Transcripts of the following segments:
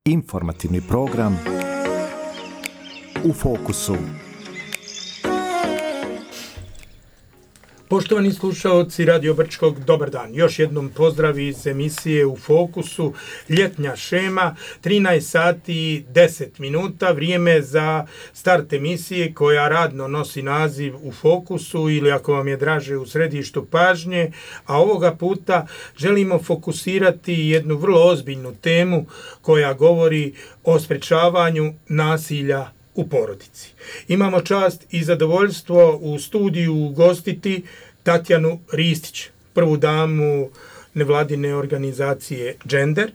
Informativni program U fokusu. Poštovani slušaoci Radio Brčkog, dobar dan. Još jednom pozdrav iz emisije U fokusu, ljetnja šema, 13 sati i 10 minuta, vrijeme za start emisije koja radno nosi naziv U fokusu ili ako vam je draže u središtu pažnje, a ovoga puta želimo fokusirati jednu vrlo ozbiljnu temu koja govori o sprečavanju nasilja u porodici. Imamo čast i zadovoljstvo u studiju ugostiti Tatjanu Ristić, prvu damu nevladine organizacije Gender,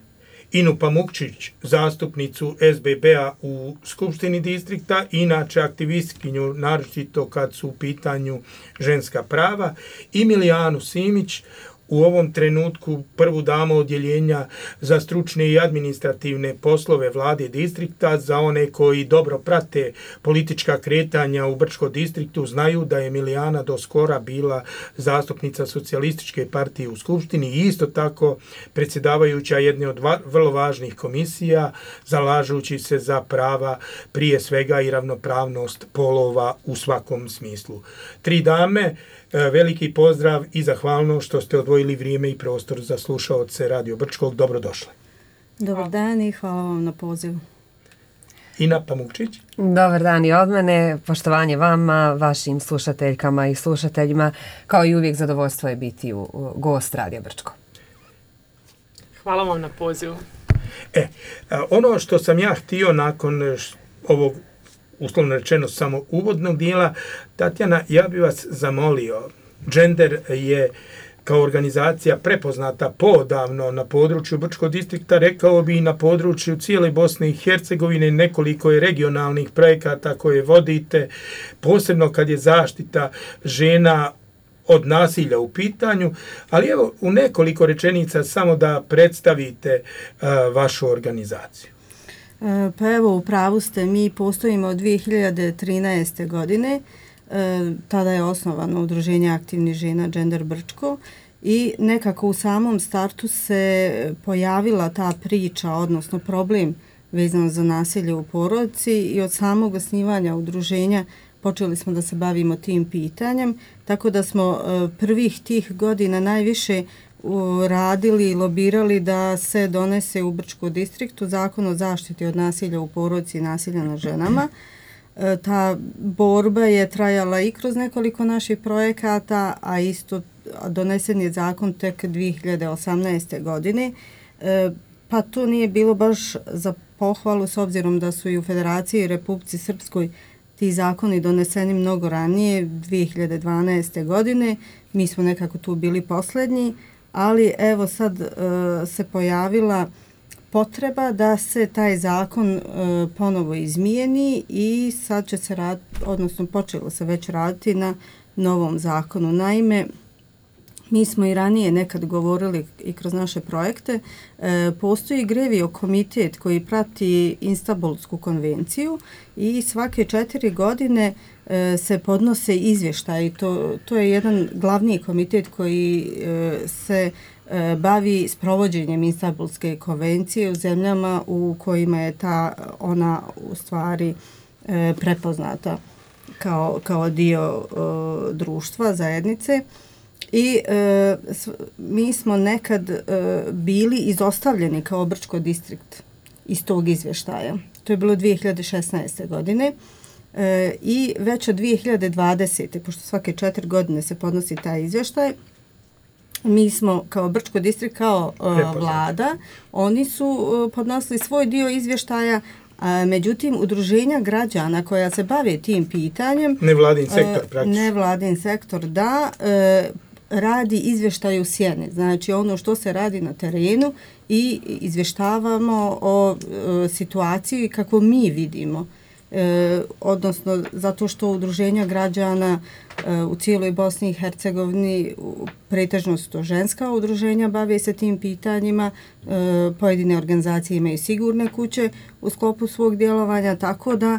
Inu Pamukčić, zastupnicu SBB-a u Skupštini distrikta, inače aktivistkinju, naročito kad su u pitanju ženska prava, i Milijanu Simić, u ovom trenutku prvu damu odjeljenja za stručne i administrativne poslove vlade distrikta. Za one koji dobro prate politička kretanja u Brčkom distriktu znaju da je Milijana do skora bila zastupnica Socijalističke partije u Skupštini i isto tako predsjedavajuća jedne od vrlo važnih komisija, zalažući se za prava prije svega i ravnopravnost polova u svakom smislu. Tri dame, veliki pozdrav i zahvalnost što ste odvojili vrijeme i prostor za slušaoce Radio Brčkog. Dobrodošli. Dobar dan i hvala vam na pozivu. Ina Pamukčić. Dobar dan i od mene. Poštovanje vama, vašim slušateljkama i slušateljima. Kao i uvijek zadovoljstvo je biti gost Radio Brčko. Hvala vam na pozivu. Ono što sam ja htio nakon ovog uslovno rečeno samo uvodnog dijela, Tatjana, ja bih vas zamolio, Gender je kao organizacija prepoznata poodavno na području Brčkog distrikta, rekao bi i na području cijele Bosne i Hercegovine, nekoliko je regionalnih projekata koje vodite, posebno kad je zaštita žena od nasilja u pitanju, ali evo u nekoliko rečenica samo da predstavite vašu organizaciju. Pa evo, u pravu ste, mi postojimo od 2013. godine, tada je osnovano Udruženje aktivnih žena Gender Brčko i nekako u samom startu se pojavila ta priča, odnosno problem vezano za nasilje u porodici i od samog osnivanja udruženja počeli smo da se bavimo tim pitanjem, tako da smo prvih tih godina najviše radili i lobirali da se donese u Brčkom distriktu zakon o zaštiti od nasilja u porodici i nasilja nad ženama. Ta borba je trajala i kroz nekoliko naših projekata, a isto donesen je zakon tek 2018. godine. Pa to nije bilo baš za pohvalu s obzirom da su i u Federaciji i Republici Srpskoj ti zakoni doneseni mnogo ranije, 2012. godine. Mi smo nekako tu bili posljednji. Ali evo sad se pojavila potreba da se taj zakon ponovo izmijeni i sad će se raditi, odnosno počelo se već raditi na novom zakonu. Naime, mi smo i ranije nekad govorili i kroz naše projekte, postoji Grevio komitet koji prati Istanbulsku konvenciju i svake 4 godine se podnose izvještaji. To je jedan glavni komitet koji se bavi sprovođenjem Istanbulske konvencije u zemljama u kojima je ona u stvari prepoznata kao dio društva, zajednice. I mi smo nekad bili izostavljeni kao Brčko distrikt iz tog izvještaja. To je bilo 2016. godine. I već od 2020. pošto svake 4 godine se podnosi taj izvještaj, mi smo kao Brčko distrikt, kao vlada, oni su podnosili svoj dio izvještaja, međutim udruženja građana koja se bave tim pitanjem, nevladin sektor praktično. Nevladin sektor, da, radi izvještaj u sjeni, znači ono što se radi na terenu i izvještavamo o situaciji kako mi vidimo. Odnosno zato što udruženja građana u cijeloj Bosni i Hercegovini, pretežno su to ženska udruženja, bave se tim pitanjima, pojedine organizacije imaju sigurne kuće u sklopu svog djelovanja, tako da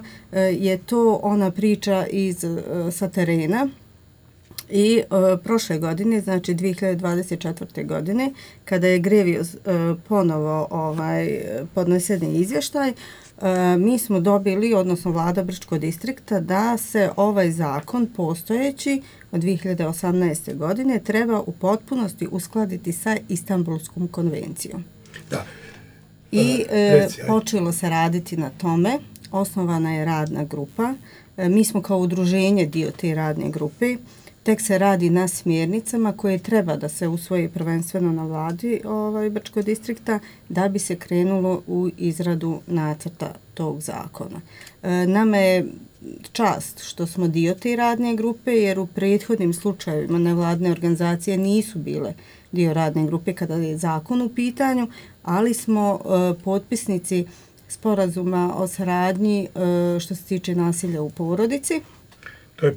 je to ona priča sa terena. I prošle godine, znači 2024. godine, kada je Grevios ponovo podneseni izvještaj, mi smo dobili, odnosno vlada Brčkog distrikta, da se ovaj zakon postojeći od 2018. godine treba u potpunosti uskladiti sa Istanbulskom konvencijom. Da. I počelo se raditi na tome, osnovana je radna grupa, mi smo kao udruženje dio te radne grupe, tek se radi na smjernicama koje treba da se usvoji prvenstveno na vladi Brčkog distrikta da bi se krenulo u izradu nacrta tog zakona. Nama je čast što smo dio te radne grupe jer u prethodnim slučajevima nevladne organizacije nisu bile dio radne grupe kada je zakon u pitanju, ali smo potpisnici sporazuma o saradnji što se tiče nasilja u porodici. To je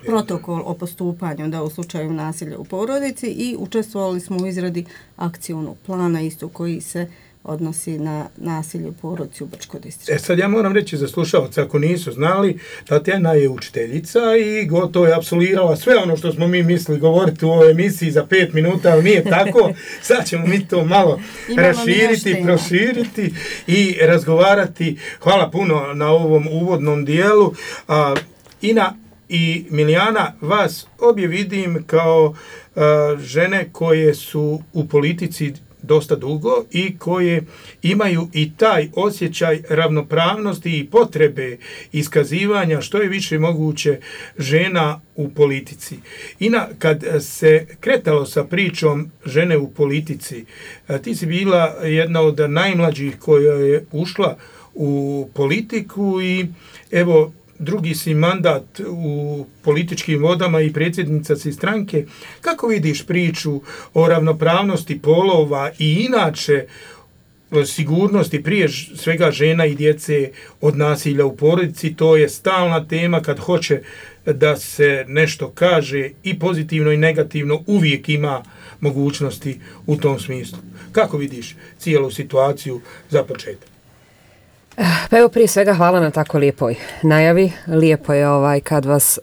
protokol o postupanju da u slučaju nasilja u porodici i učestvovali smo u izradi akcijnog plana isto koji se odnosi na nasilje u porodici u Brčkom distriktu. Sad ja moram reći za slušalce, ako nisu znali, Tatjana je učiteljica i gotovo je apsolvirala sve ono što smo mi mislili govoriti u ovoj emisiji za 5 minuta, ali nije tako. Sad ćemo mi to malo raširiti, proširiti i razgovarati. Hvala puno na ovom uvodnom dijelu. Ina i Milijana, vas obje vidim kao žene koje su u politici dosta dugo i koje imaju i taj osjećaj ravnopravnosti i potrebe iskazivanja što je više moguće žena u politici. Ina, kad se kretalo sa pričom žene u politici, ti si bila jedna od najmlađih koja je ušla u politiku i evo, drugi si mandat u političkim vodama i predsjednica si stranke. Kako vidiš priču o ravnopravnosti polova i inače sigurnosti prije svega žena i djece od nasilja u porodici? To je stalna tema kad hoće da se nešto kaže i pozitivno i negativno, uvijek ima mogućnosti u tom smislu. Kako vidiš cijelu situaciju za početak? Pa evo, prije svega hvala na tako lijepoj najavi. Lijepo je kad vas,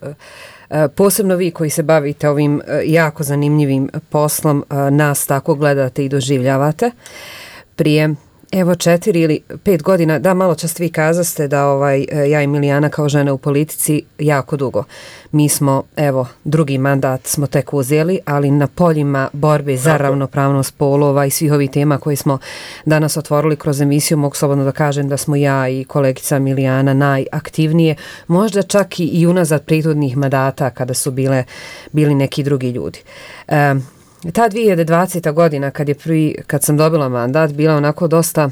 posebno vi koji se bavite ovim jako zanimljivim poslom, nas tako gledate i doživljavate. Prije evo 4 ili 5 godina, da, malo čas vi kazaste da ja i Milijana kao žene u politici jako dugo. Mi smo, evo, drugi mandat smo tek uzeli, ali na poljima borbe za ravnopravnost polova i svih ovih tema koje smo danas otvorili kroz emisiju, mogu slobodno da kažem da smo ja i kolegica Milijana najaktivnije, možda čak i unazad prethodnih mandata kada su bili neki drugi ljudi. Ta 2020. godina kad sam dobila mandat bila onako dosta,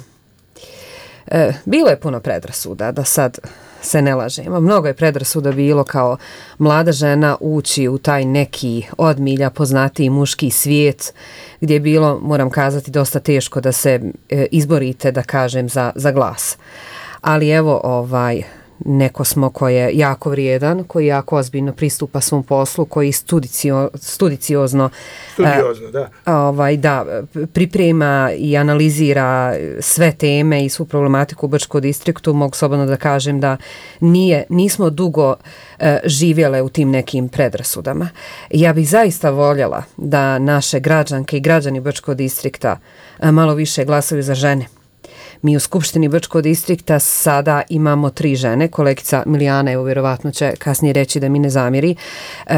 bilo je puno predrasuda, da sad se ne lažemo. Mnogo je predrasuda bilo kao mlada žena ući u taj neki od milja poznatiji muški svijet gdje je bilo, moram kazati, dosta teško da se izborite, da kažem, za glas. Ali evo, neko smo koji je jako vrijedan, koji jako ozbiljno pristupa svom poslu, koji studiozno priprema i analizira sve teme i svu problematiku u Brčkom distriktu. Mogu slobodno da kažem da nismo dugo živjele u tim nekim predrasudama. Ja bih zaista voljela da naše građanke i građani Brčkog distrikta malo više glasaju za žene. Mi u Skupštini Brčkog distrikta sada imamo 3 žene. Kolegica Milijana, evo vjerovatno će kasnije reći da mi ne zamjeri,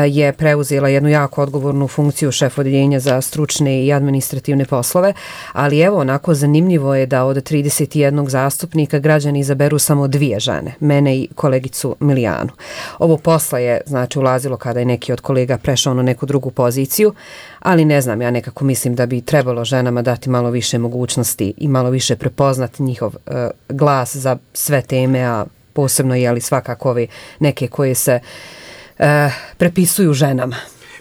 je preuzela jednu jako odgovornu funkciju šef odjeljenja za stručne i administrativne poslove, ali evo onako zanimljivo je da od 31 zastupnika građani izaberu samo 2 žene, mene i kolegicu Milijanu. Ovo posla je znači ulazilo kada je neki od kolega prešao na neku drugu poziciju, ali ne znam, ja nekako mislim da bi trebalo ženama dati malo više mogućnosti i malo više prepoznati njihov glas za sve teme, a posebno je li svakako ove neke koje se prepisuju ženama.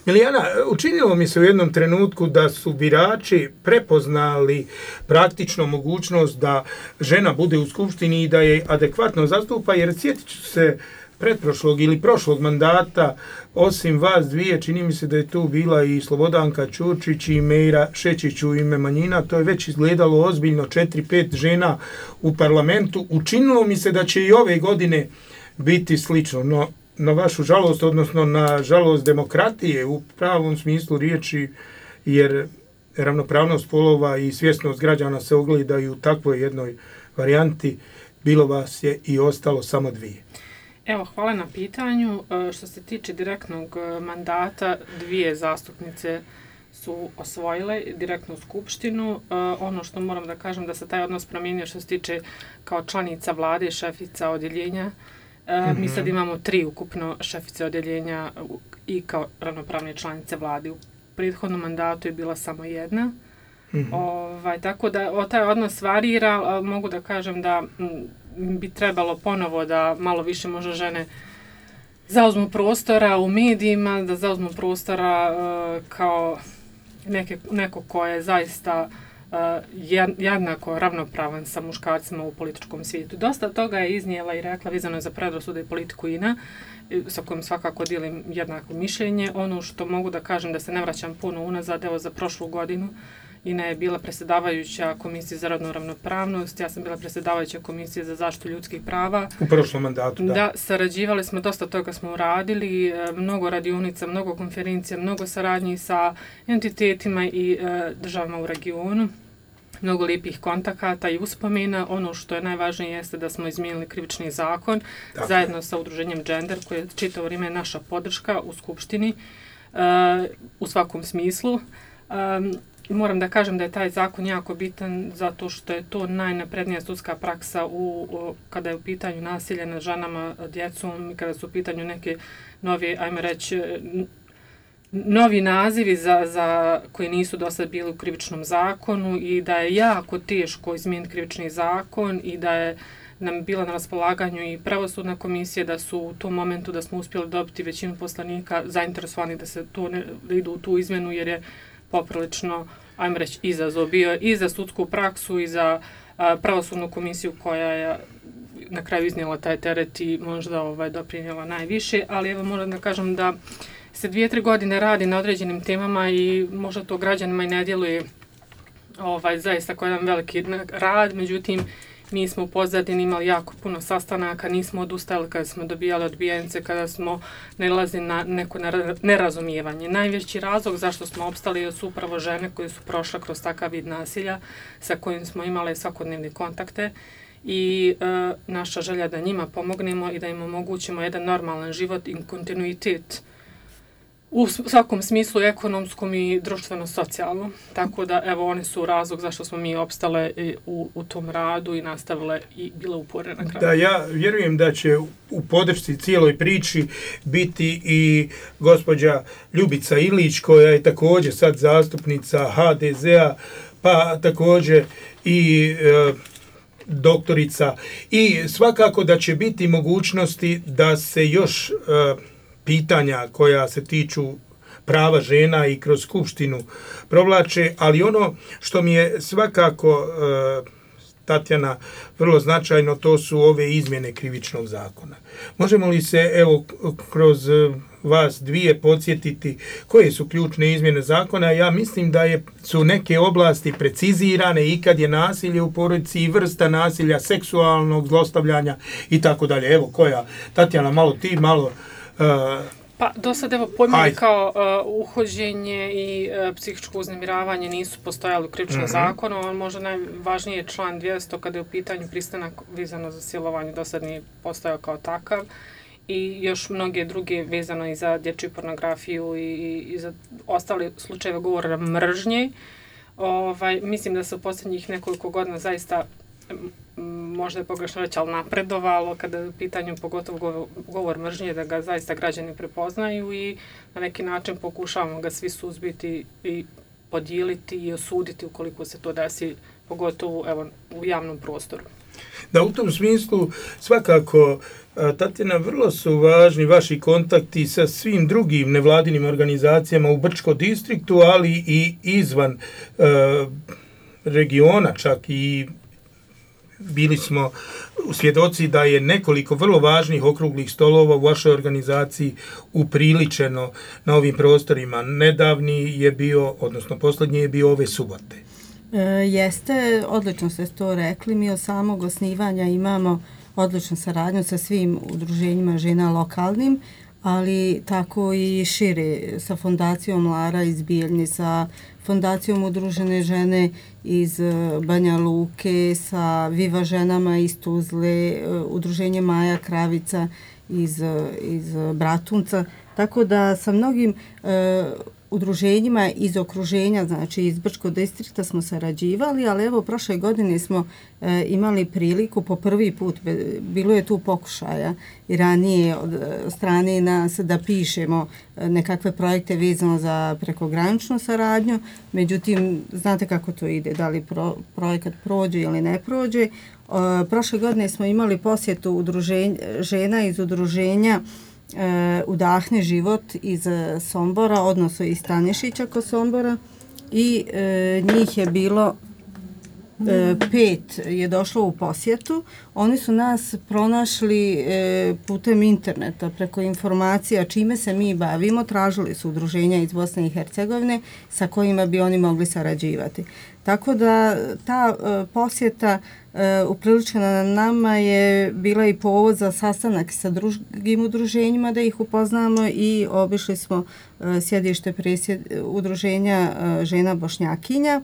Milijana, učinilo mi se u jednom trenutku da su birači prepoznali praktično mogućnost da žena bude u skupštini i da je adekvatno zastupa, jer sjetit ću se pretprošlog ili prošlog mandata, osim vas dvije, čini mi se da je tu bila i Slobodanka Ćurčić i Mejra Šečić u ime manjina. To je već izgledalo ozbiljno, 4-5 žena u parlamentu. Učinilo mi se da će i ove godine biti slično, no na vašu žalost, odnosno na žalost demokratije u pravom smislu riječi, jer ravnopravnost polova i svjesnost građana se ogledaju u takvoj jednoj varijanti, bilo vas je i ostalo samo 2. Evo, hvala na pitanju. Što se tiče direktnog mandata, 2 zastupnice su osvojile direktnu skupštinu. Ono što moram da kažem da se taj odnos promijenio što se tiče kao članica vlade, šefica odjeljenja. Mi sad imamo 3 ukupno šefice odjeljenja i kao ravnopravne članice vlade. U prethodnom mandatu je bila samo 1. Tako da taj odnos varira. Mogu da kažem da bi trebalo ponovo da malo više možda žene zauzmu prostora u medijima, da zauzmu prostora kao neko ko je zaista jednako ravnopravan sa muškarcima u političkom svijetu. Dosta toga je iznijela i rekla vezano za predrasude i politiku INA, sa kojim svakako dijelim jednako mišljenje. Ono što mogu da kažem da se ne vraćam puno unazad, evo za prošlu godinu, INA je bila predsjedavajuća Komisije za rodnu ravnopravnost, ja sam bila predsjedavajuća Komisije za zaštitu ljudskih prava. U prošlom mandatu, da. Da, sarađivali smo, dosta toga smo uradili, mnogo radionica, mnogo konferencija, mnogo saradnji sa entitetima i državama u regionu. Mnogo lijepih kontakata i uspomena. Ono što je najvažnije jeste da smo izmijenili krivični zakon zajedno sa udruženjem Gender, koje je čitavo vrijeme naša podrška u Skupštini u svakom smislu. Moram da kažem da je taj zakon jako bitan zato što je to najnaprednija sudska praksa kada je u pitanju nasilje nad ženama, djecom i kada su u pitanju neke nove, ajmo reći, novi nazivi za koji nisu do sad bili u krivičnom zakonu i da je jako teško izmijeniti krivični zakon i da je nam bila na raspolaganju i pravosudna komisija, da su u tom momentu da smo uspjeli dobiti većinu poslanika zainteresovani da idu u tu izmjenu jer je poprilično, ajmo reći, izazov bio i za sudsku praksu i za pravosudnu komisiju koja je na kraju iznijela taj teret i možda doprinijela najviše, ali evo moram da kažem da se 2-3 godine radi na određenim temama i možda to građanima i ne djeluje zaista kao jedan veliki rad, međutim mi smo u pozadini imali jako puno sastanaka, nismo odustajali kada smo dobijali odbijence, kada smo nalazili na neko nerazumijevanje. Najveći razlog zašto smo opstali su upravo žene koje su prošle kroz takav vid nasilja sa kojim smo imali svakodnevne kontakte i naša želja da njima pomognemo i da im omogućimo jedan normalan život i kontinuitet u svakom smislu ekonomskom i društveno-socijalnom. Tako da, evo, one su razlog zašto smo mi opstale u tom radu i nastavile i bile uporne na kraju. Da, ja vjerujem da će u podršci cijeloj priči biti i gospođa Ljubica Ilić, koja je također sad zastupnica HDZ-a, pa također i doktorica. I svakako da će biti mogućnosti da se još pitanja koja se tiču prava žena i kroz skupštinu provlače, ali ono što mi je svakako, Tatjana, vrlo značajno, to su ove izmjene krivičnog zakona. Možemo li se, evo, kroz vas 2 podsjetiti koje su ključne izmjene zakona? Ja mislim da su neke oblasti precizirane i kad je nasilje u porodici i vrsta nasilja, seksualnog zlostavljanja i tako dalje. Evo, koja? Tatjana, malo ti, malo... Pa do sad evo pojmovi kao uhođenje i psihičko uznemiravanje nisu postojali u krivičnom zakonu, ali možda najvažniji je član 200 kada je u pitanju pristanak vezano za silovanje, do sad nije postojao kao takav i još mnoge druge vezano i za dječju pornografiju i za ostale slučajeve govora mržnje. Mislim da se u posljednjih nekoliko godina zaista, možda je pogrešno reći, ali napredovalo kada je u pitanju pogotovo govor mržnje, da ga zaista građani prepoznaju i na neki način pokušavamo ga svi suzbiti i podijeliti i osuditi ukoliko se to desi, pogotovo evo, u javnom prostoru. Da, u tom smislu svakako, Tatjana, vrlo su važni vaši kontakti sa svim drugim nevladinim organizacijama u Brčkom distriktu, ali i izvan regiona čak i bili smo svjedoci da je nekoliko vrlo važnih okruglih stolova u vašoj organizaciji upriličeno na ovim prostorima. Nedavni je bio, odnosno posljednji je bio ove subote. Jeste, odlično ste to rekli. Mi od samog osnivanja imamo odličnu saradnju sa svim udruženjima žena lokalnim, ali tako i šire, sa Fondacijom Lara iz Bijeljne, sa Fondacijom Udružene žene iz Banja Luke, sa Viva ženama iz Tuzle, Udruženje Maja Kravica iz Bratunca. Tako da sa mnogim udruženjima iz okruženja, znači iz Brčkog distrikta smo sarađivali, ali evo prošle godine smo imali priliku po prvi put, bilo je tu pokušaja i ranije od strane nas da pišemo nekakve projekte vezano za prekograničnu saradnju, međutim, znate kako to ide, da li projekat prođe ili ne prođe. Prošle godine smo imali posjetu žena iz udruženja Udahni život iz Sombora, odnosno iz Stanišića kod Sombora, i njih je bilo 5 je došlo u posjetu. Oni su nas pronašli putem interneta, preko informacija čime se mi bavimo, tražili su udruženja iz Bosne i Hercegovine sa kojima bi oni mogli sarađivati. Tako da ta posjeta upriličena na nama je bila i povod za sastanak sa drugim udruženjima da ih upoznamo i obišli smo sjedište udruženja žena Bošnjakinja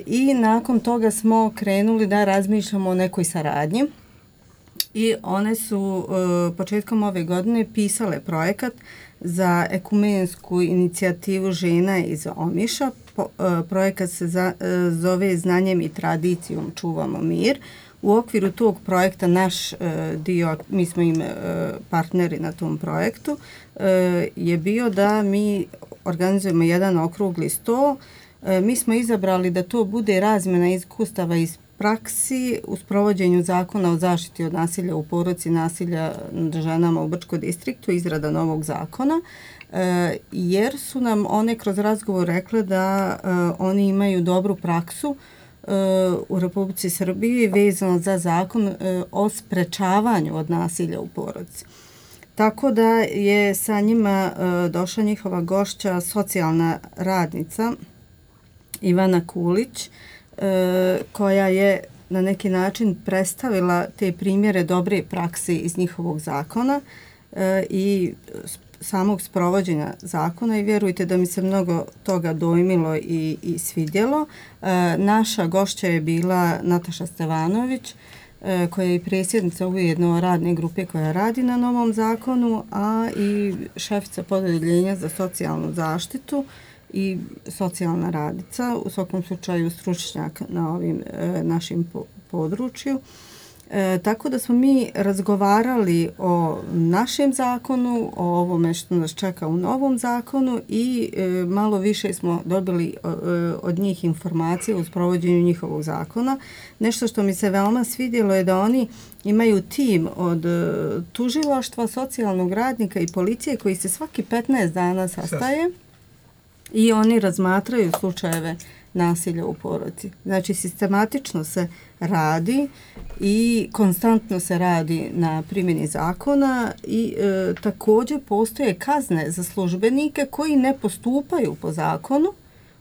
i nakon toga smo krenuli da razmišljamo o nekoj saradnji i one su početkom ove godine pisale projekat za ekumensku inicijativu žena iz Omiša. Projekat se zove Znanjem i tradicijom čuvamo mir. U okviru tog projekta naš dio, mi smo im partneri na tom projektu, je bio da mi organizujemo jedan okrugli sto. Mi smo izabrali da to bude razmjena iskustava iz praksi u sprovođenju zakona o zaštiti od nasilja u porodici, nasilja nad ženama u Brčkom distriktu, izrada novog zakona, jer su nam one kroz razgovor rekle da oni imaju dobru praksu u Republici Srbiji vezano za zakon o sprečavanju od nasilja u porodici. Tako da je sa njima došla njihova gošća, socijalna radnica Ivana Kulić, koja je na neki način predstavila te primjere dobre prakse iz njihovog zakona i samog sprovođenja zakona i vjerujte da mi se mnogo toga dojmilo i svidjelo. Naša gošća je bila Nataša Stevanović, koja je i predsjednica ujedno radne grupe koja radi na novom zakonu, a i šefica podeljenja za socijalnu zaštitu i socijalna radica, u svakom slučaju stručnjak na ovim našim području. Tako da smo mi razgovarali o našem zakonu, o ovome što nas čeka u novom zakonu i malo više smo dobili od njih informacije u sprovođenju njihovog zakona. Nešto što mi se veoma svidjelo je da oni imaju tim od tužilaštva, socijalnog radnika i policije koji se svaki 15 dana sastaje i oni razmatraju slučajeve nasilja u porodici. Znači, sistematično se radi i konstantno se radi na primjeni zakona i također postoje kazne za službenike koji ne postupaju po zakonu,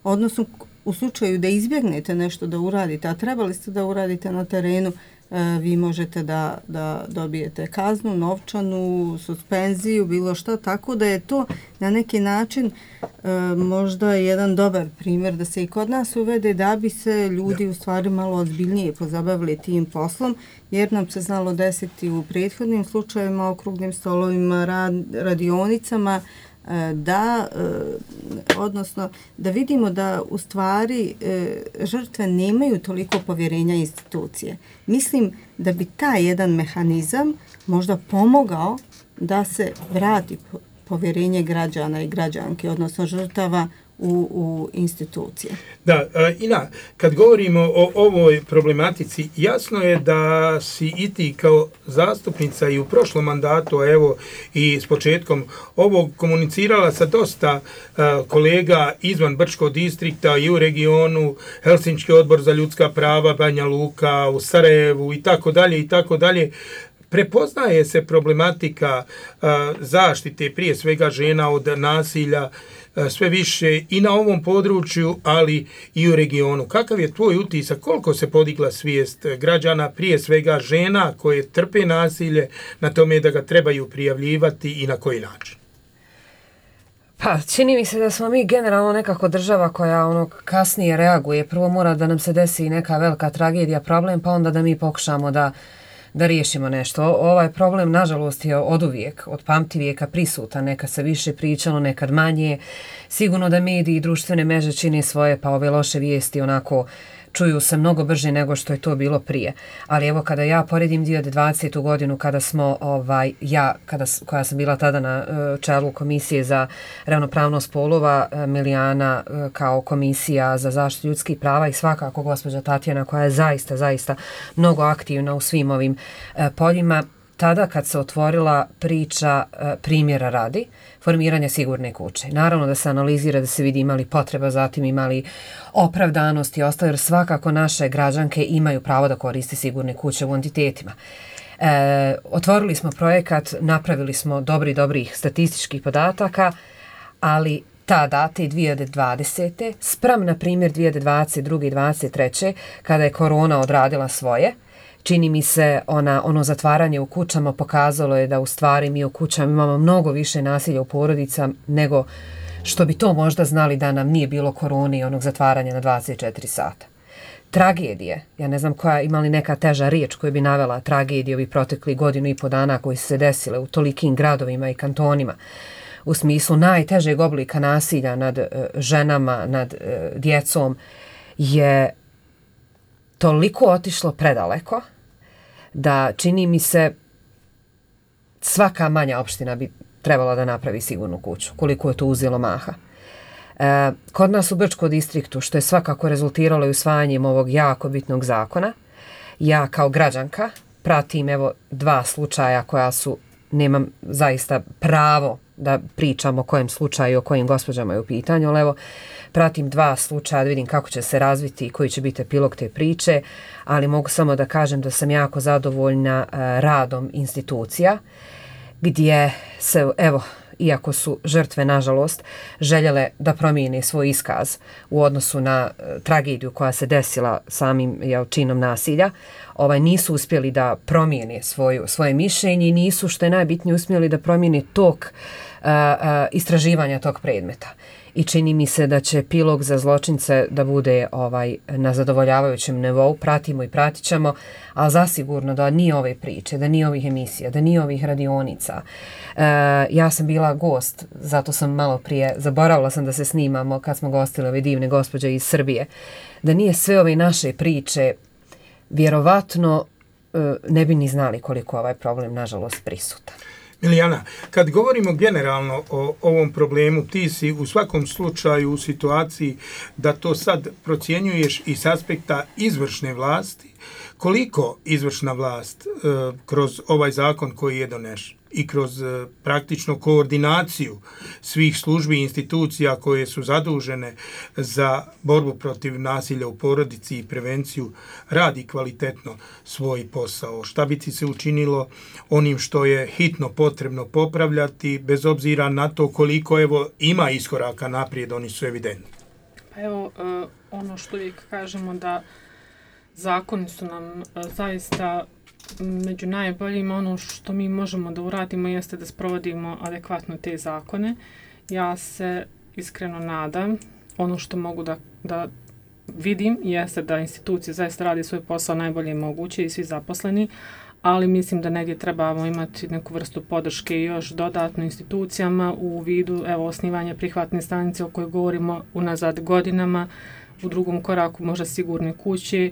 odnosno u slučaju da izbjegnete nešto da uradite, a trebali ste da uradite na terenu, vi možete da dobijete kaznu, novčanu, suspenziju, bilo šta, tako da je to na neki način možda jedan dobar primjer da se i kod nas uvede da bi se ljudi u stvari malo ozbiljnije pozabavili tim poslom, jer nam se znalo desiti u prethodnim slučajevima, okruglim stolovima, radionicama, odnosno da vidimo da u stvari žrtve nemaju toliko povjerenja institucije. Mislim da bi taj jedan mehanizam možda pomogao da se vrati povjerenje građana i građanke, odnosno žrtava u institucije. Da, Ina, kad govorimo o ovoj problematici, jasno je da si i ti kao zastupnica i u prošlom mandatu, a evo i s početkom ovog komunicirala sa dosta kolega izvan Brčkog distrikta i u regionu, Helsinški odbor za ljudska prava, Banja Luka, u Sarajevu i tako dalje i tako dalje. prepoznaje se problematika zaštite prije svega žena od nasilja sve više i na ovom području, ali i u regionu. Kakav je tvoj utisak, koliko se podigla svijest građana, prije svega žena koje trpe nasilje, na tome da ga trebaju prijavljivati i na koji način? Pa, čini mi se da smo mi generalno nekako država koja kasnije reaguje. Prvo mora da nam se desi neka velika tragedija, problem, pa onda da mi pokušamo da riješimo nešto. Ovaj problem, nažalost, je oduvijek, od pamtivijeka prisutan. Nekad se više pričalo, nekad manje. Sigurno da mediji i društvene mreže čine svoje, pa ove loše vijesti onako čuju se mnogo brže nego što je to bilo prije. Ali evo, kada ja poredim 2020. godinu, kada smo, koja sam bila tada na čelu Komisije za ravnopravnost spolova, Milijana kao Komisija za zaštitu ljudskih prava i svakako gospođa Tatjana koja je zaista mnogo aktivna u svim ovim poljima, tada kad se otvorila priča primjera radi, formiranja sigurne kuće. Naravno da se analizira, da se vidi imali potreba, zatim imali opravdanost i ostalo, jer svakako naše građanke imaju pravo da koriste sigurne kuće u entitetima. Otvorili smo projekat, napravili smo dobrih statističkih podataka, ali tada, te 2020. spram, na primjer, 2022. i 2023. kada je korona odradila svoje, čini mi se ono zatvaranje u kućama pokazalo je da u stvari mi u kućama imamo mnogo više nasilja u porodicama nego što bi to možda znali da nam nije bilo korone i onog zatvaranja na 24 sata. Tragedije, ja ne znam koja ima li neka teža riječ koju bi navela tragedije ovih proteklih 1,5 dana koji su se desile u tolikim gradovima i kantonima, u smislu najtežeg oblika nasilja nad ženama, nad djecom, je toliko otišlo predaleko da čini mi se svaka manja opština bi trebala da napravi sigurnu kuću, koliko je to uzelo maha. Kod nas u Brčkom distriktu, što je svakako rezultiralo i usvajanjem ovog jako bitnog zakona, ja kao građanka pratim 2 slučaja koja su, nemam zaista pravo da pričam o kojem slučaju, o kojim gospođama je u pitanju, ali evo, pratim 2 slučaja da vidim kako će se razviti i koji će biti epilog te priče, ali mogu samo da kažem da sam jako zadovoljna radom institucija, gdje se, iako su žrtve, nažalost, željele da promijene svoj iskaz u odnosu na tragediju koja se desila samim činom nasilja, nisu uspjeli da promijene svoje mišljenje i nisu, što je najbitnije, uspjeli da promijene tok istraživanja tog predmeta. I čini mi se da će epilog za zločince da bude na zadovoljavajućem nivou, pratimo i pratit ćemo, ali zasigurno da nije ove priče, da nije ovih emisija, da nije ovih radionica. Ja sam bila gost, zato sam malo prije, zaboravila sam da se snimamo kad smo gostili ove divne gospođe iz Srbije, da nije sve ove naše priče, vjerovatno ne bi ni znali koliko ovaj problem, nažalost, prisutan. Milijana, kad govorimo generalno o ovom problemu, ti si u svakom slučaju u situaciji da to sad procjenjuješ i s aspekta izvršne vlasti, koliko izvršna vlast kroz ovaj zakon koji je donešen i kroz praktično koordinaciju svih službi i institucija koje su zadužene za borbu protiv nasilja u porodici i prevenciju radi kvalitetno svoj posao. Šta bi ti se učinilo onim što je hitno potrebno popravljati, bez obzira na to koliko ima iskoraka naprijed, oni su evidentni? Pa ono što uvijek kažemo da zakoni su nam zaista među najboljima. Ono što mi možemo da uradimo jeste da sprovodimo adekvatno te zakone. Ja se iskreno nadam, ono što mogu da vidim jeste da institucije zaista radi svoj posao najbolje moguće i svi zaposleni, ali mislim da negdje trebamo imati neku vrstu podrške i još dodatno institucijama u vidu osnivanja prihvatne stanice o kojoj govorimo unazad godinama, u drugom koraku možda sigurne kuće.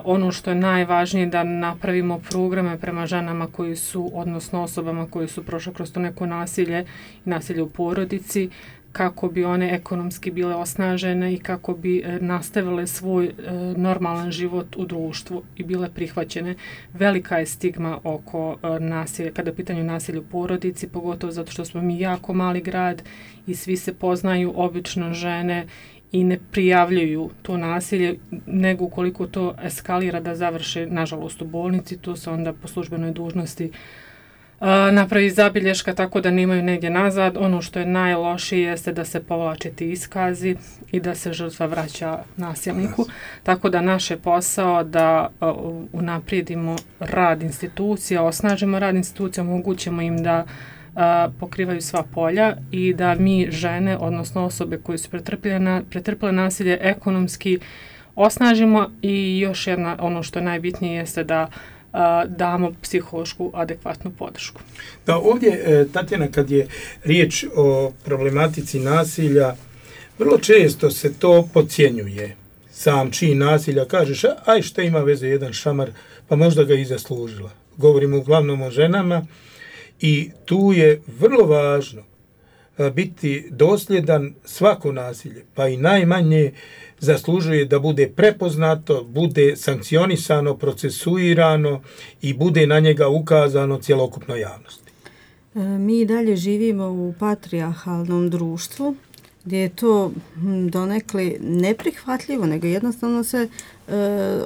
Ono što je najvažnije da napravimo programe prema ženama koji su, odnosno osobama koji su prošle kroz to neko nasilje i nasilje u porodici, kako bi one ekonomski bile osnažene i kako bi nastavile svoj normalan život u društvu i bile prihvaćene. Velika je stigma oko nasilja, kada je u pitanju nasilja u porodici, pogotovo zato što smo mi jako mali grad i svi se poznaju, obično žene i ne prijavljuju to nasilje, nego ukoliko to eskalira da završe, nažalost, u bolnici, to se onda po službenoj dužnosti napravi zabilješka tako da nemaju negdje nazad. Ono što je najlošije jeste da se povlače ti iskazi i da se žrtva vraća nasilniku. Tako da naš je posao da unaprijedimo rad institucija, osnažimo rad institucija, omogućimo im da pokrivaju sva polja i da mi žene, odnosno osobe koje su pretrpile nasilje, ekonomski osnažimo i još jedna, ono što je najbitnije jeste da damo psihološku adekvatnu podršku. Da, ovdje, Tatjana, kad je riječ o problematici nasilja, vrlo često se to podcjenjuje. Sam čin nasilja, kažeš, aj šta ima veze jedan šamar, pa možda ga i zaslužila. Govorimo uglavnom o ženama i tu je vrlo važno biti dosljedan. Svako nasilje, pa i najmanje, zaslužuje da bude prepoznato, bude sankcionisano, procesuirano i bude na njega ukazano cjelokupnoj javnosti. Mi dalje živimo u patrijarhalnom društvu gdje je to donekle neprihvatljivo, nego jednostavno se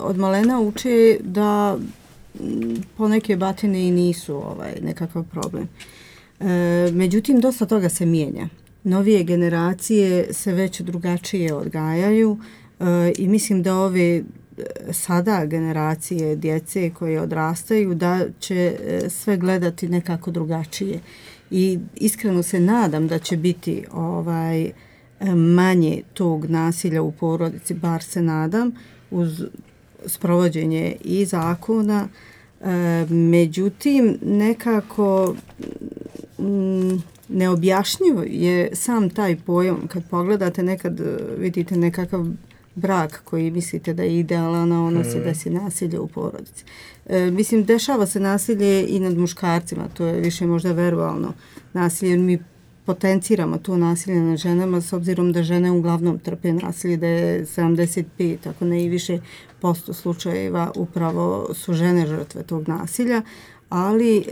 od malena uče da poneke batine i nisu nekakav problem. Međutim, dosta toga se mijenja. Novije generacije se već drugačije odgajaju i mislim da ove sada generacije djece koje odrastaju da će sve gledati nekako drugačije. I iskreno se nadam da će biti manje tog nasilja u porodici, bar se nadam, uz sprovođenje i zakona. Međutim, nekako neobjašnjivo je sam taj pojam. Kad pogledate, nekad vidite nekakav brak koji mislite da je idealan, a ono se desi nasilje u porodici. Mislim, dešava se nasilje i nad muškarcima, to je više možda verbalno nasilje. Mi potenciramo to nasilje nad ženama s obzirom da žene uglavnom trpe nasilje, da je 75, ako ne i više % slučajeva upravo su žene žrtve tog nasilja, ali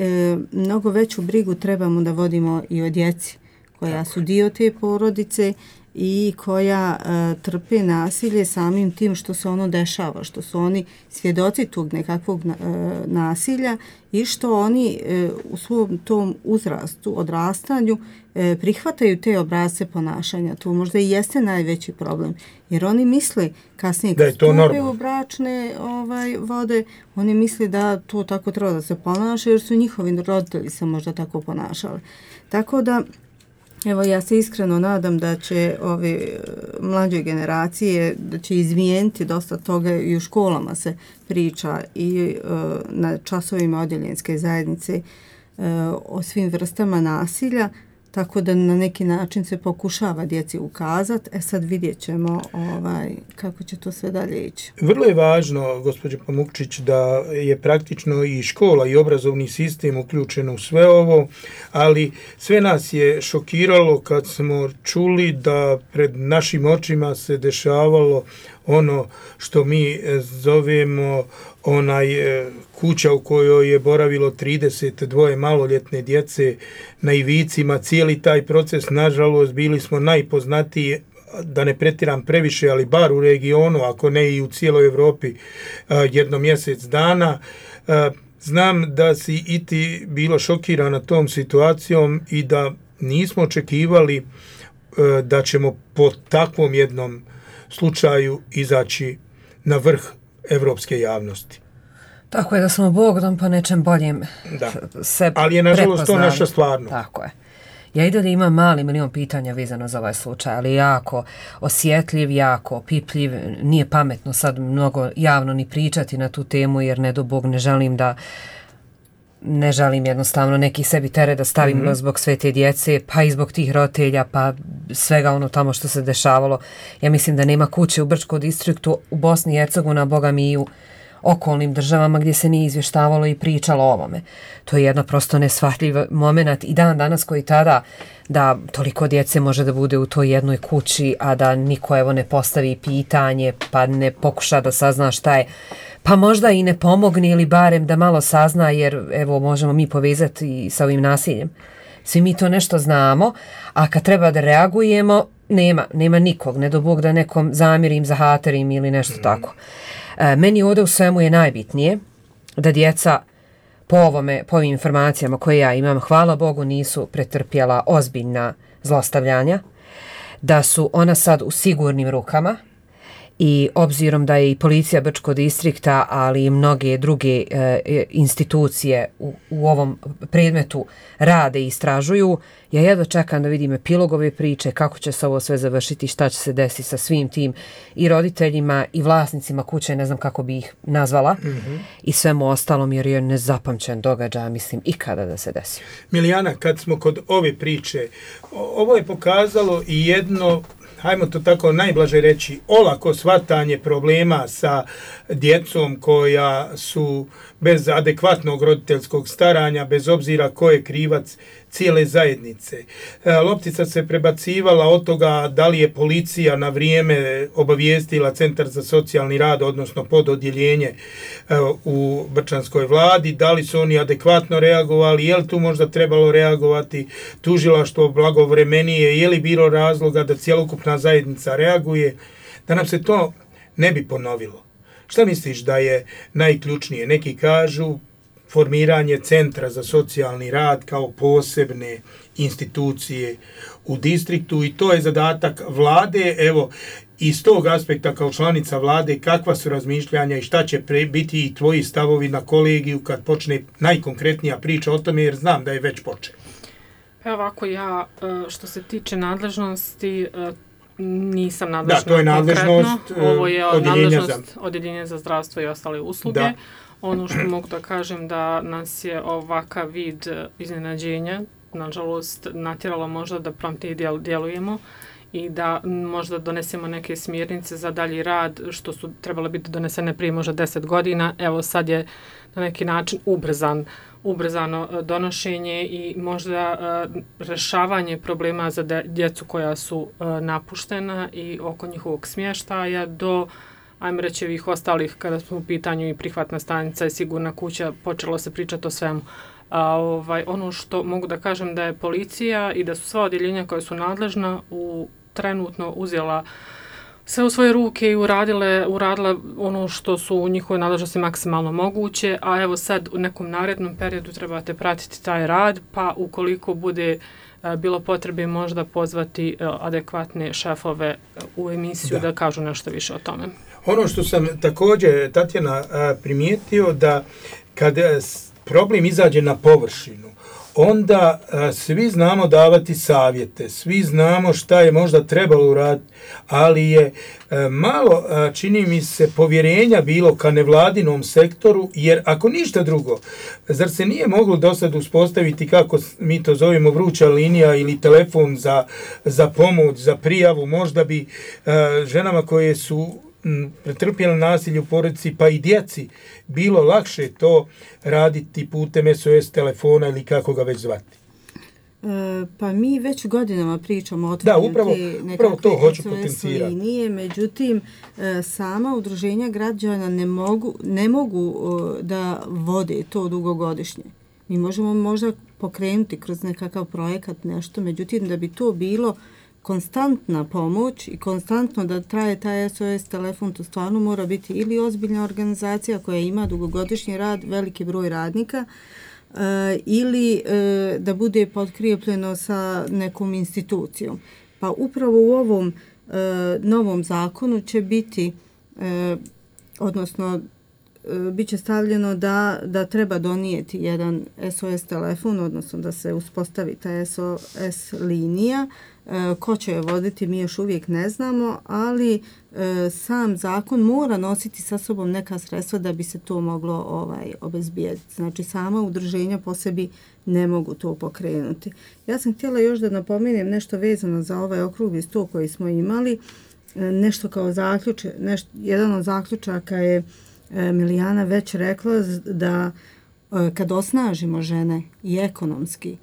mnogo veću brigu trebamo da vodimo i o djeci koja su dio te porodice i koja trpe nasilje samim tim što se ono dešava, što su oni svjedoci tog nekakvog nasilja i što oni u svom tom uzrastu, odrastanju prihvataju te obrasce ponašanja. To možda i jeste najveći problem, jer oni misle kasnije kad stupe u bračne vode, oni misle da to tako treba da se ponaša jer su njihovi roditelji se možda tako ponašali. Tako da evo, ja se iskreno nadam da će ove mlađe generacije, da će izmijeniti dosta toga i u školama se priča i na časovima odjeljenske zajednice o svim vrstama nasilja, tako da na neki način se pokušava djeci ukazati. Sad vidjet ćemo kako će to sve dalje ići. Vrlo je važno, gospođo Pamukčić, da je praktično i škola i obrazovni sistem uključen u sve ovo, ali sve nas je šokiralo kad smo čuli da pred našim očima se dešavalo ono što mi zovemo kuća u kojoj je boravilo 32 maloljetne djece na Ivicima. Cijeli taj proces, nažalost, bili smo najpoznatiji, da ne pretjeram previše, ali bar u regionu, ako ne i u cijeloj Europi, jedno mjesec dana. Znam da si i ti bilo šokirana tom situacijom i da nismo očekivali da ćemo po takvom jednom slučaju izaći na vrh evropske javnosti. Tako je, da smo Bogom po nečem boljem se ali je nažalost to naša stvarnost. Tako je. Ja i dalje imam mali milion pitanja vezano za ovaj slučaj, ali jako osjetljiv, jako opipljiv. Nije pametno sad mnogo javno ni pričati na tu temu, jer ne do Bog ne želim jednostavno neki sebi teret da stavim zbog sve te djece, pa i zbog tih roditelja, pa svega ono tamo što se dešavalo. Ja mislim da nema kuće u Brčkom distriktu, u Bosni i Hercegovini, a boga mi i u okolnim državama gdje se nije izvještavalo i pričalo o ovome. To je jedno prosto neshvatljiv moment i dan danas koji tada da toliko djece može da bude u toj jednoj kući, a da niko ne postavi pitanje, pa ne pokuša da sazna šta je, pa možda i ne pomogne ili barem da malo sazna, jer evo možemo mi povezati i sa ovim nasiljem. Svi mi to nešto znamo, a kad treba da reagujemo, nema nikog, ne do Bog da nekom zamjerim, zahaterim ili nešto tako. Meni ovdje u svemu je najbitnije da djeca po ovim informacijama koje ja imam, hvala Bogu, nisu pretrpjela ozbiljna zlostavljanja, da su ona sad u sigurnim rukama i obzirom da je i policija Brčkog distrikta, ali i mnoge druge institucije u ovom predmetu rade i istražuju, ja jedva čekam da vidim epilog ove priče, kako će se ovo sve završiti, šta će se desiti sa svim tim i roditeljima i vlasnicima kuće, ne znam kako bi ih nazvala, i svemu ostalom, jer je nezapamćen događaj, mislim, ikada da se desi. Milijana, kad smo kod ove priče, ovo je pokazalo i jedno, hajmo to tako najblaže reći, olako shvatanje problema sa djecom koja su bez adekvatnog roditeljskog staranja, bez obzira ko je krivac cijele zajednice. Loptica se prebacivala od toga da li je policija na vrijeme obavijestila Centar za socijalni rad, odnosno pododjeljenje u Brčanskoj vladi, da li su oni adekvatno reagovali, je li tu možda trebalo reagovati tužilaštvo blagovremenije, je li bilo razloga da cjelokupna zajednica reaguje, da nam se to ne bi ponovilo. Šta misliš da je najključnije? Neki kažu formiranje Centra za socijalni rad kao posebne institucije u distriktu i to je zadatak vlade. Evo, iz tog aspekta kao članica vlade, kakva su razmišljanja i šta će biti i tvoji stavovi na kolegiju kad počne najkonkretnija priča o tome, jer znam da je već počeo. Evo ovako, ja što se tiče nadležnosti, nisam nadležna. Da, to je nadležnost ovo je nadležnost Odjeljenja za zdravstvo i ostale usluge. Da. Ono što mogu da kažem da nas je ovakav vid iznenađenja, nažalost, natjeralo možda da promptnije djelujemo i da možda donesemo neke smjernice za dalji rad, što su trebale biti donesene prije možda 10 godina. Evo sad je na neki način ubrzano donošenje i možda rješavanje problema za djecu koja su napuštena i oko njihovog smještaja do, ajmo reći, ovih ostalih, kada smo u pitanju i prihvatna stanica i sigurna kuća, počelo se pričati o svemu. Ono što mogu da kažem da je policija i da su sva odjeljenja koja su nadležna trenutno uzela sve u svoje ruke i uradila ono što su u njihovoj nadležnosti maksimalno moguće, a evo sad u nekom narednom periodu trebate pratiti taj rad, pa ukoliko bude bilo potrebe možda pozvati adekvatne šefove u emisiju da kažu nešto više o tome. Ono što sam također, Tatjana, primijetio da kad problem izađe na površinu, onda svi znamo davati savjete, svi znamo šta je možda trebalo uraditi, ali je malo, čini mi se, povjerenja bilo ka nevladinom sektoru, jer ako ništa drugo, zar se nije moglo do sad uspostaviti, kako mi to zovemo, vruća linija ili telefon za pomoć, za prijavu, možda bi ženama koje su pretrpjeli nasilje u porodici, pa i djeci, bilo lakše to raditi putem SOS telefona ili kako ga već zvati. Pa mi već godinama pričamo o otvoriti nekakve SOS linije, međutim sama udruženja građana ne mogu da vode to dugogodišnje. Mi možemo možda pokrenuti kroz nekakav projekat nešto, međutim da bi to bilo konstantna pomoć i konstantno da traje taj SOS telefon, to stvarno mora biti ili ozbiljna organizacija koja ima dugogodišnji rad, veliki broj radnika, ili da bude potkrijepljeno sa nekom institucijom. Pa upravo u ovom novom zakonu će biti, odnosno bit će stavljeno da treba donijeti jedan SOS telefon, odnosno da se uspostavi ta SOS linija. Ko će je voditi, mi još uvijek ne znamo, ali sam zakon mora nositi sa sobom neka sredstva da bi se to moglo obezbijediti. Znači, sama udruženja po sebi ne mogu to pokrenuti. Ja sam htjela još da napomenem nešto vezano za ovaj okrugli stol koji smo imali. Nešto kao jedan od zaključaka je Milijana već rekla da kad osnažimo žene i ekonomski,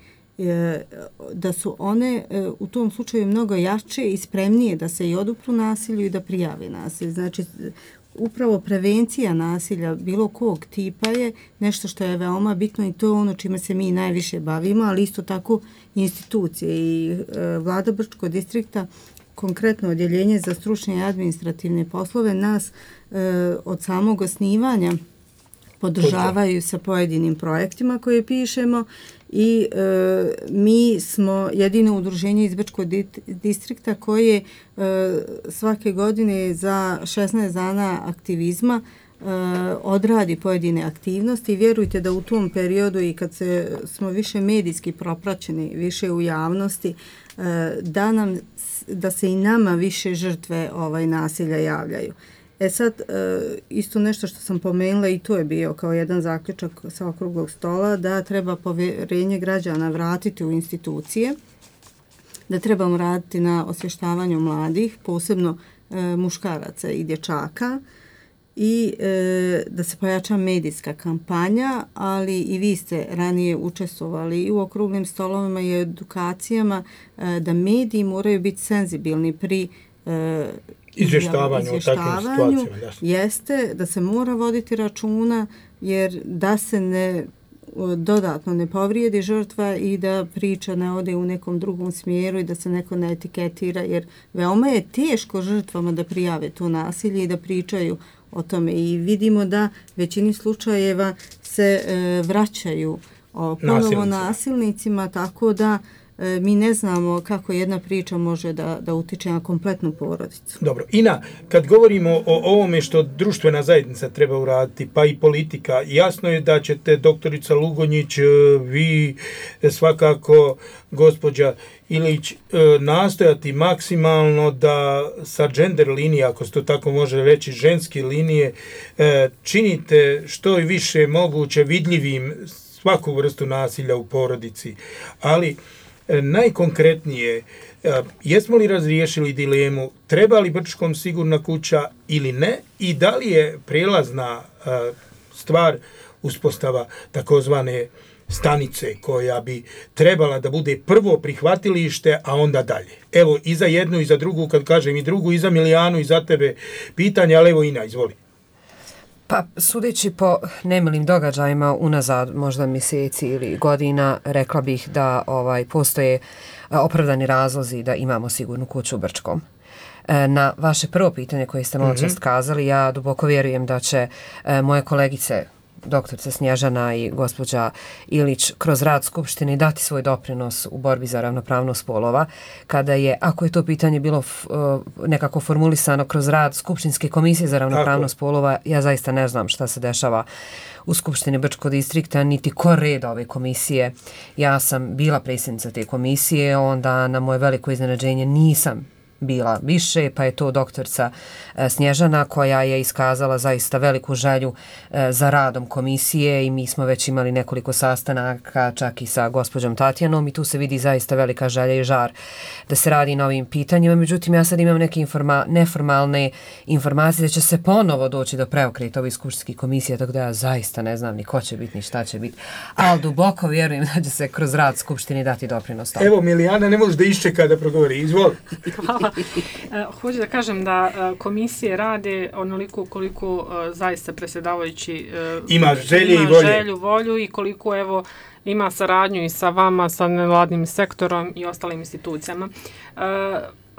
da su one u tom slučaju mnogo jače i spremnije da se i odupru nasilju i da prijave nasilje. Znači, upravo prevencija nasilja bilo kog tipa je nešto što je veoma bitno i to je ono čime se mi najviše bavimo, ali isto tako institucije i vlada Brčkog distrikta konkretno odjeljenje za stručne i administrativne poslove nas od samog osnivanja podržavaju sa pojedinim projektima koje pišemo i mi smo jedino udruženje iz Brčkog distrikta koje svake godine za 16 dana aktivizma odradi pojedine aktivnosti i vjerujte da u tom periodu i kad smo više medijski propraćeni, više u javnosti, da se i nama više žrtve nasilja javljaju. Sad, isto nešto što sam pomenula i to je bio kao jedan zaključak sa okruglog stola, da treba povjerenje građana vratiti u institucije, da trebamo raditi na osvještavanju mladih, posebno muškaraca i dječaka, i da se pojača medijska kampanja, ali i vi ste ranije učestvovali i u okruglim stolovima i edukacijama da mediji moraju biti senzibilni pri izvještavanju o takvim situacijama. Jeste da se mora voditi računa jer da se dodatno ne povrijedi žrtva i da priča ne ode u nekom drugom smjeru i da se neko ne etiketira, jer veoma je teško žrtvama da prijave to nasilje i da pričaju o tome. I vidimo da većini slučajeva se vraćaju ponovo nasilnicima, tako da mi ne znamo kako jedna priča može da utiče na kompletnu porodicu. Dobro, Ina, kad govorimo o ovome što društvena zajednica treba uraditi, pa i politika, jasno je da ćete, doktorica Lugonjić, vi svakako, gospođa Ilić, nastojati maksimalno da sa gender linije, ako se to tako može reći, ženske linije, činite što je više moguće vidljivim svaku vrstu nasilja u porodici, ali najkonkretnije, jesmo li razriješili dilemu treba li Brčkom sigurna kuća ili ne i da li je prijelazna stvar uspostava takozvane stanice koja bi trebala da bude prvo prihvatilište, a onda dalje. Evo, i za jednu i za drugu, kad kažem i drugu, i za Milijanu i za tebe pitanje, ali evo Ina, izvoli. Pa, sudeći po nemilim događajima unazad možda mjeseci ili godina, rekla bih da postoje opravdani razlozi da imamo sigurnu kuću u Brčkom. Na vaše prvo pitanje koje ste malo čast kazali, ja duboko vjerujem da će moje kolegice, doktorica Snježana i gospođa Ilić, kroz rad Skupštine dati svoj doprinos u borbi za ravnopravnost spolova, kada je, ako je to pitanje bilo nekako formulisano kroz rad Skupštinske komisije za ravnopravnost spolova, ja zaista ne znam šta se dešava u Skupštini Brčkog distrikta, niti ko reda ove komisije. Ja sam bila predsjednica te komisije, onda na moje veliko iznenađenje nisam bila više, pa je to doktorica Snježana koja je iskazala zaista veliku želju za radom komisije i mi smo već imali nekoliko sastanaka čak i sa gospođom Tatjanom i tu se vidi zaista velika želja i žar da se radi na ovim pitanjima. Međutim, ja sad imam neke neformalne informacije da će se ponovo doći do preokreta ovih skupštinskih komisija, tako da ja zaista ne znam ni ko će biti ni šta će biti, ali duboko vjerujem da će se kroz rad Skupštine dati doprinos. Evo, Milijana, ne možeš da iščeka da progovori, izvoli. Hvala. Hoću da kažem da komisije rade onoliko koliko zaista predsjedavajući ima želju, volju i koliko ima saradnju i sa vama, sa nevladnim sektorom i ostalim institucijama.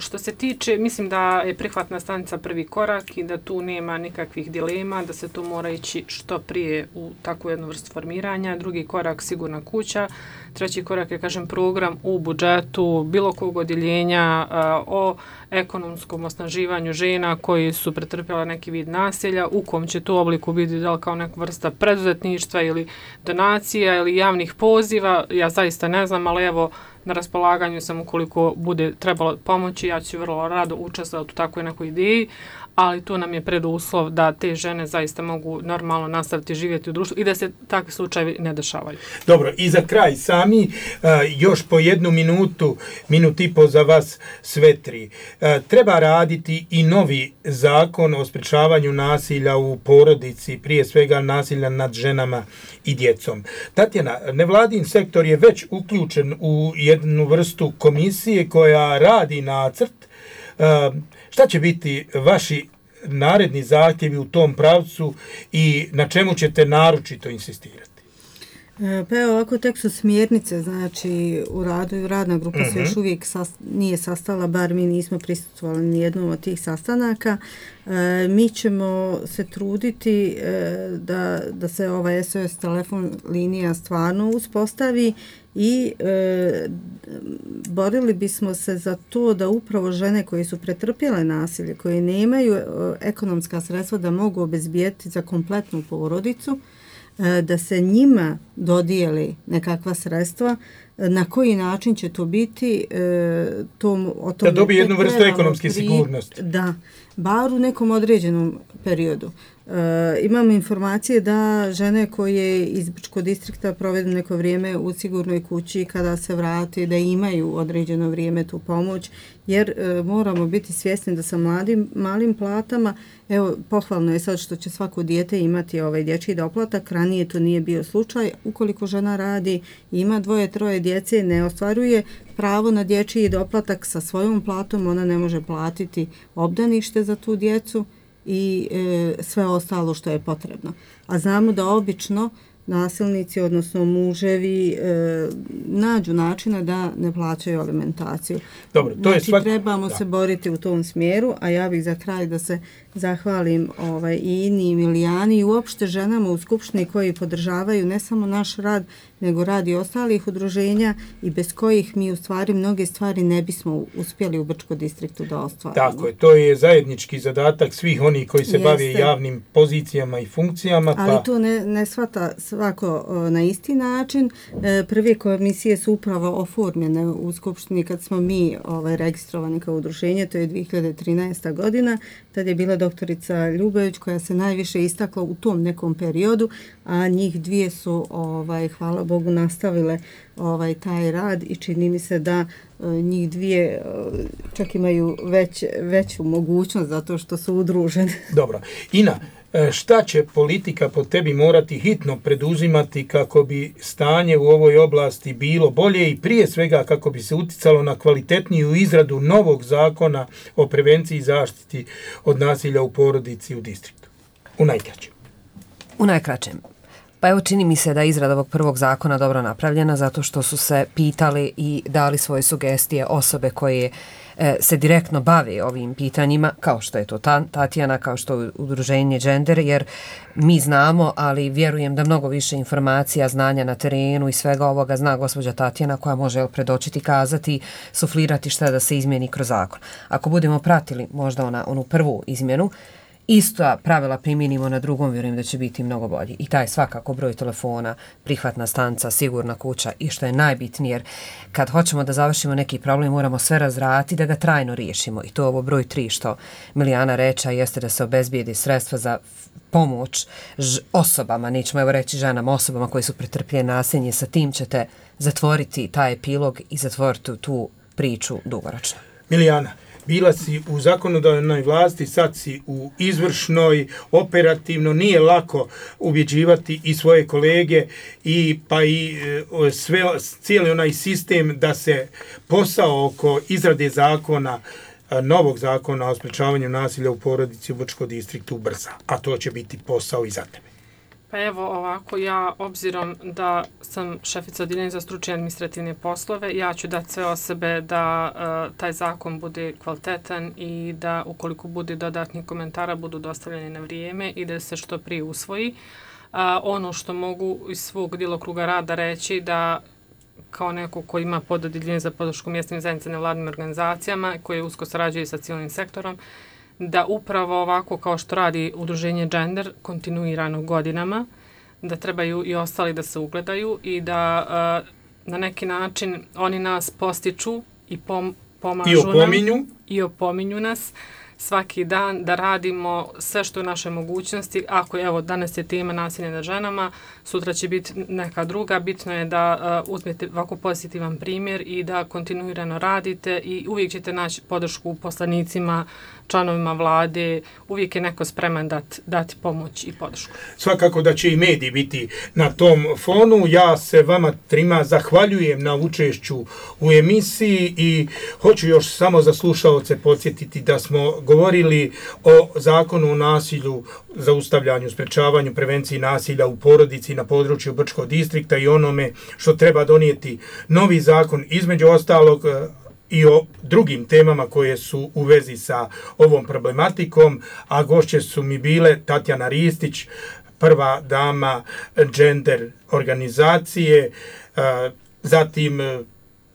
Što se tiče, mislim da je prihvatna stanica prvi korak i da tu nema nikakvih dilema, da se tu mora ići što prije u takvu jednu vrstu formiranja. Drugi korak sigurna kuća. Treći korak je, kažem, program u budžetu bilo kog odjeljenja o ekonomskom osnaživanju žena koji su pretrpjela neki vid nasilja, u kom će to obliku biti da li kao neka vrsta preduzetništva ili donacija ili javnih poziva. Ja zaista ne znam, ali evo, na raspolaganju sam ukoliko bude trebalo pomoći, ja ću vrlo rado učestvovati u takvoj nekoj ideji, ali to nam je preduslov da te žene zaista mogu normalno nastaviti živjeti u društvu i da se takvi slučajevi ne dešavaju. Dobro, i za kraj sami, još po jednu minut i po za vas sve tri. Treba raditi i novi zakon o sprečavanju nasilja u porodici, prije svega nasilja nad ženama i djecom. Tatjana, nevladin sektor je već uključen u jednu vrstu komisije koja radi nacrt. Šta će biti vaši naredni zahtjevi u tom pravcu i na čemu ćete naročito insistirati? Pa evo ovako, tek su smjernice, znači u radu, radna grupa se još uvijek nije sastala, bar mi nismo prisustvovali ni jednom od tih sastanaka. Mi ćemo se truditi da se ova SOS telefon linija stvarno uspostavi i borili bismo se za to da upravo žene koje su pretrpjele nasilje, koje nemaju ekonomska sredstva da mogu obezbijeti za kompletnu porodicu, da se njima dodijeli nekakva sredstva, na koji način će to biti, da dobije jednu vrstu ekonomske sigurnosti. Da, bar u nekom određenom periodu. Imamo informacije da žene koje iz Brčkog distrikta provedu neko vrijeme u sigurnoj kući, kada se vrati, da imaju određeno vrijeme tu pomoć, jer moramo biti svjesni da sa malim platama, evo, pohvalno je sad što će svako dijete imati dječji doplatak, ranije to nije bio slučaj. Ukoliko žena radi, ima 2-3 djece, ne ostvaruje pravo na dječji doplatak sa svojom platom, ona ne može platiti obdanište za tu djecu i sve ostalo što je potrebno. A znamo da obično nasilnici, odnosno muževi, nađu načina da ne plaćaju alimentaciju. Dobro, to znači, je trebamo se boriti u tom smjeru, a ja bih za kraj da se zahvalim i Ini i Milijani i uopšte ženama u Skupštini koji podržavaju ne samo naš rad, nego rad i ostalih udruženja i bez kojih mi u stvari mnoge stvari ne bismo uspjeli u Brčkom distriktu da ostvarimo. Tako je, to je zajednički zadatak svih onih koji se bave javnim pozicijama i funkcijama. Ali to ne shvata svako na isti način. Prve komisije su upravo oformljene u Skupštini kad smo mi registrovani kao udruženje, to je 2013. godina. Tad je bila doktorica Ljubović koja se najviše istakla u tom nekom periodu, a njih dvije su, hvala Bogu, nastavile taj rad i čini mi se da njih dvije čak imaju veću mogućnost zato što su udružene. Dobro. Ina, šta će politika po tebi morati hitno preduzimati kako bi stanje u ovoj oblasti bilo bolje i prije svega kako bi se uticalo na kvalitetniju izradu novog zakona o prevenciji i zaštiti od nasilja u porodici u distriktu? U najkraćem. Pa evo, čini mi se da je izrada ovog prvog zakona dobro napravljena zato što su se pitali i dali svoje sugestije osobe koje se direktno bave ovim pitanjima, kao što je to Tatjana, kao što je udruženje Gender, jer mi znamo, ali vjerujem da mnogo više informacija, znanja na terenu i svega ovoga zna gospođa Tatjana koja može predočiti, kazati, suflirati šta da se izmijeni kroz zakon. Ako budemo pratili možda onu prvu izmjenu, isto pravila primjenimo na drugom, vjerujem da će biti mnogo bolji. I taj svakako broj telefona, prihvatna stanca, sigurna kuća i što je najbitnije, jer kad hoćemo da završimo neki problem, moramo sve razraditi da ga trajno riješimo. I to ovo broj 3 što Milijana reče, jeste da se obezbijedi sredstva za pomoć osobama, nećemo evo reći ženama, osobama koji su pretrpljene nasilje, sa tim ćete zatvoriti taj epilog i zatvoriti tu priču dugoročno. Milijana, bila si u zakonodavnoj vlasti, sad si u izvršnoj, operativno, nije lako ubjeđivati i svoje kolege i cijeli onaj sistem da se posao oko izrade zakona, novog zakona o sprečavanju nasilja u porodici u Brčkom distriktu ubrza, a to će biti posao i za tebe. Pa evo ovako, ja obzirom da sam šefica odeljenja za stručne administrativne poslove, ja ću dati sve od sebe da taj zakon bude kvalitetan i da ukoliko bude dodatnih komentara budu dostavljeni na vrijeme i da se što prije usvoji. Ono što mogu iz svog djelokruga rada reći da kao neko ko ima pododeljenje za podršku mjesnim zajednicama nevladinim organizacijama koje usko sarađuje sa civilnim sektorom, da upravo ovako kao što radi udruženje Gender kontinuirano godinama, da trebaju i ostali da se ugledaju i da na neki način oni nas postiču i pomažu i opominju nas svaki dan da radimo sve što je u našoj mogućnosti. Ako evo danas je tema nasilje nad ženama, sutra će biti neka druga. Bitno je da uzmete ovako pozitivan primjer i da kontinuirano radite i uvijek ćete naći podršku poslanicima, članovima vlade, uvijek je neko spreman dati pomoć i podršku. Svakako da će i mediji biti na tom fonu. Ja se vama trima zahvaljujem na učešću u emisiji i hoću još samo za slušaoce podsjetiti da smo govorili o zakonu o nasilju, zaustavljanju, sprečavanju, prevenciji nasilja u porodici na području Brčkog distrikta i onome što treba donijeti novi zakon, između ostalog i o drugim temama koje su u vezi sa ovom problematikom, a gošće su mi bile Tatjana Ristić, prva dama gender organizacije, zatim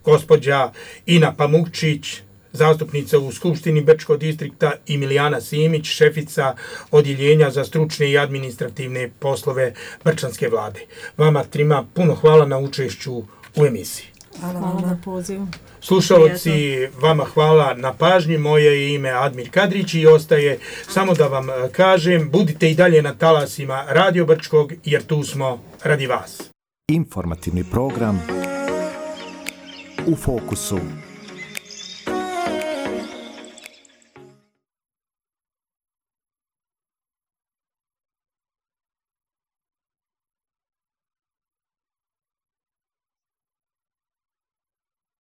gospođa Ina Pamukčić, zastupnica u Skupštini Brčkog distrikta, i Milijana Simić, šefica odjeljenja za stručne i administrativne poslove Brčanske vlade. Vama trima puno hvala na učešću u emisiji. Hvala na pozivu. Slušalci, vama hvala na pažnji. Moje ime je Admir Kadrić i ostaje samo da vam kažem, budite i dalje na talasima Radio Brčkog, jer tu smo radi vas. Informativni program U fokusu.